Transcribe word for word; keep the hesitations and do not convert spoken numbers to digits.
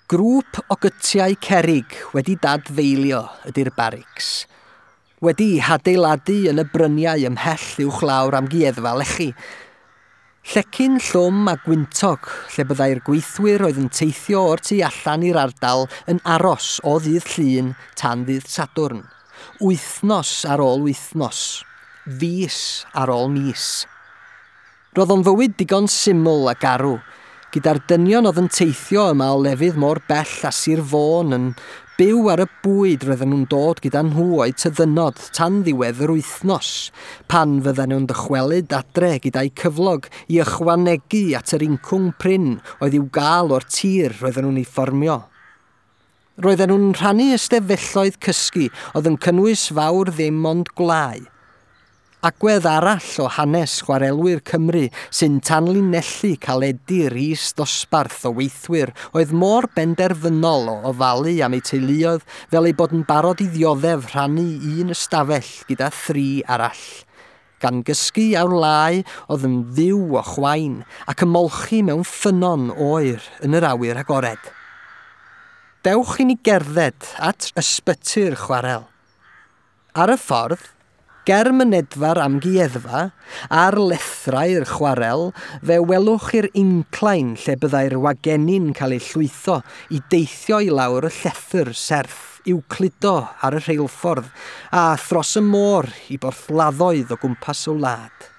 Grŵp o gytiau cerrig wedi dadfeilio ydy'r barics. Wedi hadeiladu yn y bryniau ymhell uwchlaw'r amgueddfa lechi. Llecyn llwm a gwyntog lle byddai'r gweithwyr oedd yn teithio o'r tu allan i'r ardal yn aros o ddydd Llun tan ddydd Sadwrn. Wythnos ar ôl wythnos. Fis ar ôl mis. Roedd o'n fywyd digon syml a garw, gyda'r dynion oedd yn teithio yma o lefydd mor bell a Sir Fôn yn byw ar y bwyd roedden nhw'n dod gyda nhw o'u tyddynnod tan ddiwedd yr wythnos, pan fydden nhw'n dychwelyd adre gyda'i cyflog i ychwanegu at yr incwm prin oedd i'w gael o'r tir roedden nhw'n ei fformio. Roedden nhw'n rhannu ystafelloedd cysgu oedd yn cynnwys fawr ddim ond gwlau. Agwedd arall o hanes chwarelwyr Cymru sy'n tanlinellu caledi'r is-ddosbarth o weithwyr oedd mor benderfynol o ofalu am eu teuluoedd fel eu bod yn barod i ddioddef rhannu un ystafell gyda thri arall. Gan gysgu ar wlau oedd yn fyw o chwain ac ymolchi mewn ffynnon oer yn yr awyr agored. Dewch i ni gerdded at ysbyty'r chwarel. Ar y ffordd, ger mynedfa'r amgueddfa, ar lethrau'r chwarel, fe welwch i'r incline lle byddai'r wagenni'n cael eu llwytho i deithio i lawr y llethr serth i'w cludo ar y rheilffordd a thros y môr i borthladdoedd o gwmpas y wlad.